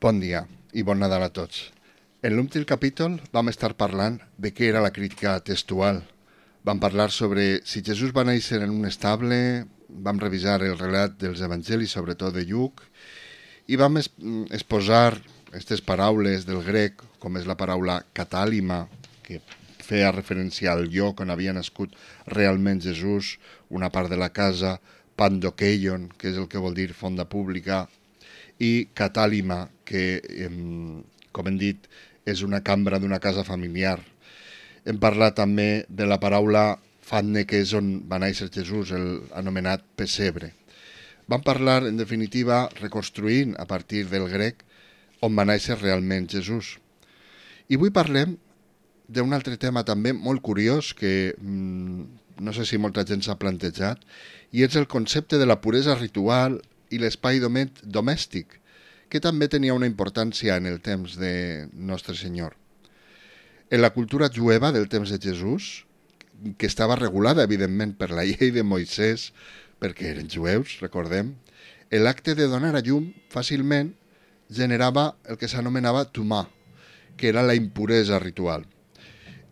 Bon dia i bon Nadal a tots. En l'últim capítol vam estar parlant de què era la crítica textual. Vam parlar sobre si Jesús va néixer en un estable, vam revisar el relat dels evangelis, sobretot de Lluc, i vam exposar aquestes paraules del grec, com és la paraula catàlima, que feia referència al lloc on havia nascut realment Jesús, una part de la casa, pandokeion, que és el que vol dir fonda pública, i catàlima, que, com hem dit, és una cambra d'una casa familiar. Hem parlat també de la paraula fatne, que és on va néixer Jesús, el anomenat pessebre. Vam parlar, en definitiva, reconstruint a partir del grec on va néixer realment Jesús. I avui parlem d'un altre tema també molt curiós que no sé si molta gent s'ha plantejat, i és el concepte de la puresa ritual i l'espai domèstic, que també tenia una importància en el temps de Nostre Senyor. En la cultura jueva del temps de Jesús, que estava regulada, evidentment, per la llei de Moisès, perquè eren jueus, recordem, l'acte de donar a llum fàcilment generava el que s'anomenava tumà, que era la impuresa ritual.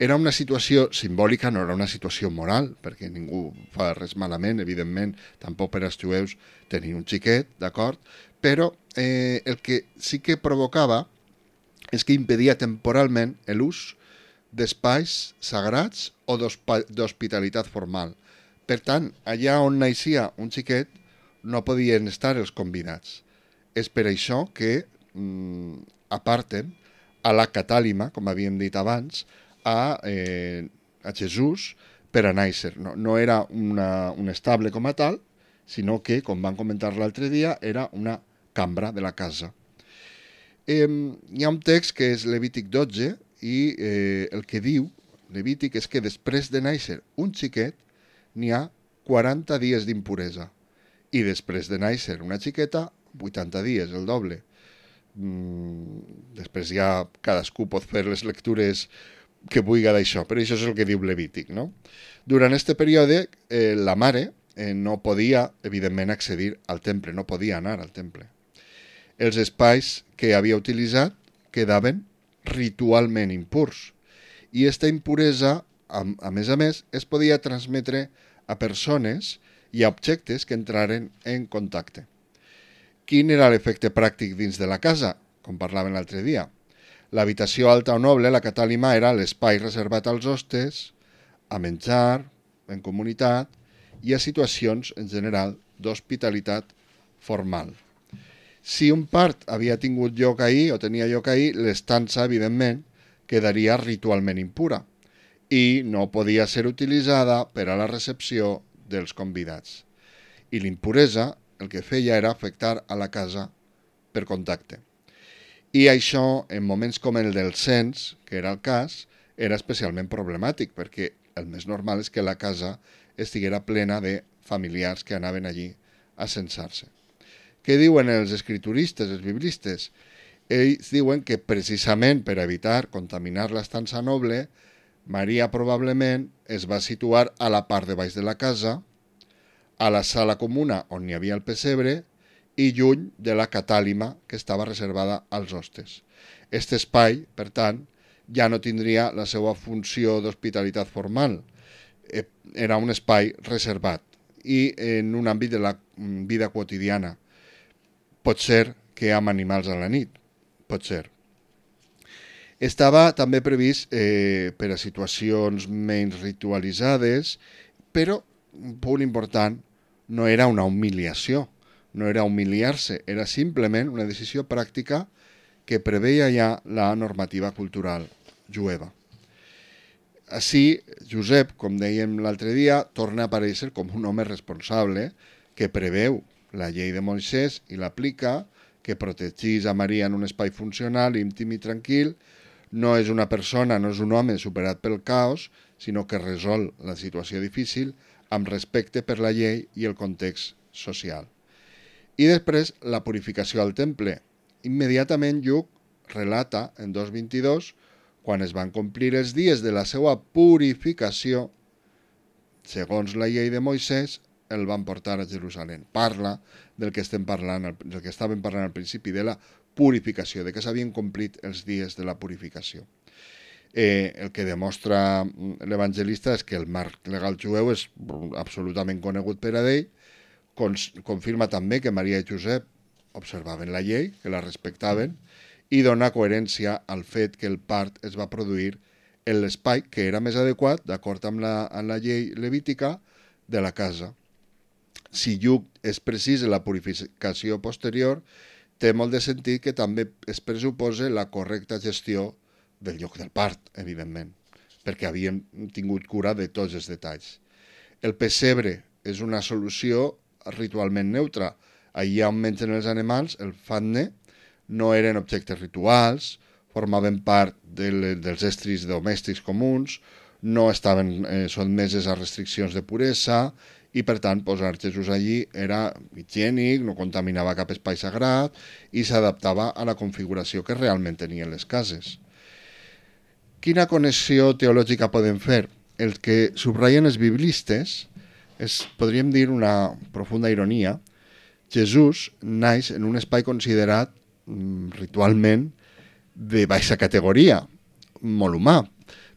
Era una situació simbòlica, no era una situació moral, perquè ningú fa res malament, evidentment, tampoc per als jueus tenir un xiquet, d'acord? Però el que sí que provocava és que impedia temporalment l'ús d'espais sagrats o d'hospitalitat formal. Per tant, allà on naixia un xiquet no podien estar els convidats. És per això que aparten a la catàlima, com havíem dit abans, a Jesús per a néixer. No era un estable com a tal, sinó que, com vam comentar l'altre dia, era una cambra de la casa. Hi ha un text que és Levític 12 i el que diu Levític és que després de néixer un xiquet n'hi ha 40 dies d'impuresa i després de néixer una xiqueta 80 dies, el doble. Després ja cadascú pot fer les lectures que vulgui d'això, però això és el que diu Levític, no? Durant aquest període la mare no podia, evidentment, accedir al temple, no podia anar al temple. Els espais que havia utilitzat quedaven ritualment impurs i aquesta impuresa, a més, es podia transmetre a persones i a objectes que entraren en contacte. Quin era l'efecte pràctic dins de la casa? Com parlàvem l'altre dia. L'habitació alta o noble, la catàlima, era l'espai reservat als hostes, a menjar, en comunitat i a situacions, en general, d'hospitalitat formal. Si un part havia tingut lloc ahir o tenia lloc ahir, l'estança, evidentment, quedaria ritualment impura i no podia ser utilitzada per a la recepció dels convidats. I l'impuresa el que feia era afectar a la casa per contacte. I això, en moments com el del cens, que era el cas, era especialment problemàtic, perquè el més normal és que la casa estiguera plena de familiars que anaven allí a censar-se. Què diuen els escrituristes, els biblistes? Ells diuen que precisament per evitar contaminar l'estança noble, Maria probablement es va situar a la part de baix de la casa, a la sala comuna on hi havia el pessebre i lluny de la catàlima que estava reservada als hostes. Aquest espai, per tant, ja no tindria la seva funció d'hospitalitat formal. Era un espai reservat i en un àmbit de la vida quotidiana. Pot ser que amb animals a la nit, pot ser. Estava també previst per a situacions menys ritualitzades, però un punt important, no era una humiliació, no era humiliar-se, era simplement una decisió pràctica que preveia ja la normativa cultural jueva. Així, Josep, com dèiem l'altre dia, torna a aparèixer com un home responsable que preveu la llei de Moisès i l'aplica, que protegís a Maria en un espai funcional, íntim i tranquil. No és una persona, no és un home superat pel caos, sinó que resol la situació difícil amb respecte per la llei i el context social. I després, la purificació al temple. Immediatament Lluc relata en 2.22, quan es van complir els dies de la seva purificació, segons la llei de Moisès, el van portar a Jerusalem. Parla del que estàvem parlant al principi, de la purificació, de que s'havien complit els dies de la purificació. El que demostra l'evangelista és que el marc legal jueu és absolutament conegut per a ell, confirma també que Maria i Josep observaven la llei, que la respectaven, i dona coherència al fet que el part es va produir en l'espai que era més adequat, d'acord amb la llei levítica, de la casa. Si Lluc és precís en la purificació posterior, té molt de sentit que també es pressuposa la correcta gestió del lloc del part, evidentment, perquè havien tingut cura de tots els detalls. El pessebre és una solució ritualment neutra. Allà on mengen els animals, el fatne, no eren objectes rituals, formaven part dels estris domèstics comuns, no estaven sotmeses a restriccions de puresa i, per tant, posar Jesús allí era higiènic, no contaminava cap espai sagrat i s'adaptava a la configuració que realment tenien les cases. Quina connexió teològica podem fer? El que subratllen els biblistes és, podríem dir, una profunda ironia. Jesús naix en un espai considerat ritualment de baixa categoria, molt humà,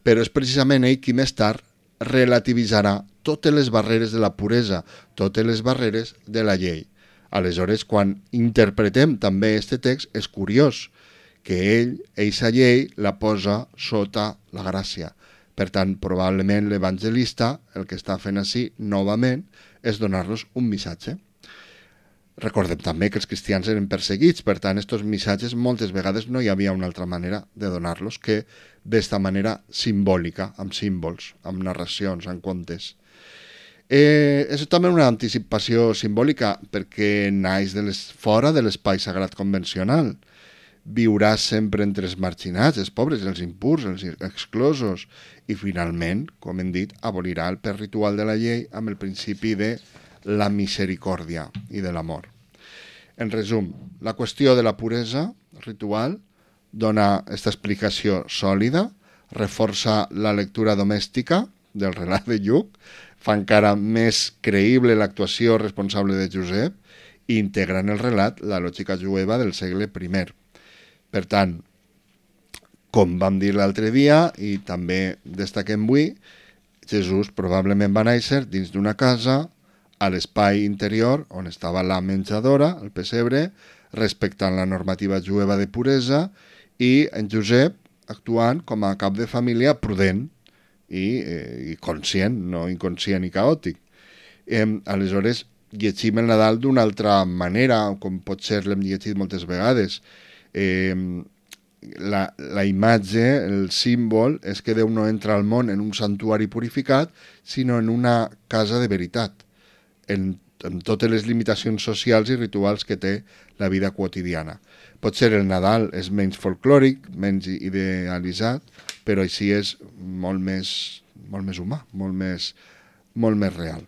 però és precisament ell qui més tard relativitzarà totes les barreres de la puresa, totes les barreres de la llei. Aleshores, quan interpretem també aquest text, és curiós que ell, eixa llei, la posa sota la gràcia. Per tant, probablement l'evangelista el que està fent així, novament, és donar-los un missatge. Recordem també que els cristians eren perseguits, per tant, aquests missatges moltes vegades no hi havia una altra manera de donar-los que d'esta manera simbòlica, amb símbols, amb narracions, amb contes. És també una anticipació simbòlica perquè naix fora de l'espai sagrat convencional. Viurà sempre entre els marginats, els pobres, els impurs, els exclosos, i finalment, com hem dit, abolirà el pes ritual de la llei amb el principi de la misericòrdia i de l'amor. En resum, la qüestió de la puresa ritual dona aquesta explicació sòlida, reforça la lectura domèstica del relat de Lluc, fa encara més creïble l'actuació responsable de Josep i integra en el relat la lògica jueva del segle I. Per tant, com vam dir l'altre dia i també destaquem avui, Jesús probablement va néixer dins d'una casa, a l'espai interior on estava la menjadora, el pessebre, respectant la normativa jueva de puresa, i en Josep actuant com a cap de família prudent i conscient, no inconscient i caòtic. Aleshores, llegim el Nadal d'una altra manera, com pot ser l'hem llegit moltes vegades. La imatge, el símbol, és que Déu no entra al món en un santuari purificat, sinó en una casa de veritat, amb totes les limitacions socials i rituals que té la vida quotidiana. Potser el Nadal és menys folclòric, menys idealitzat, però així és molt més humà, molt més real.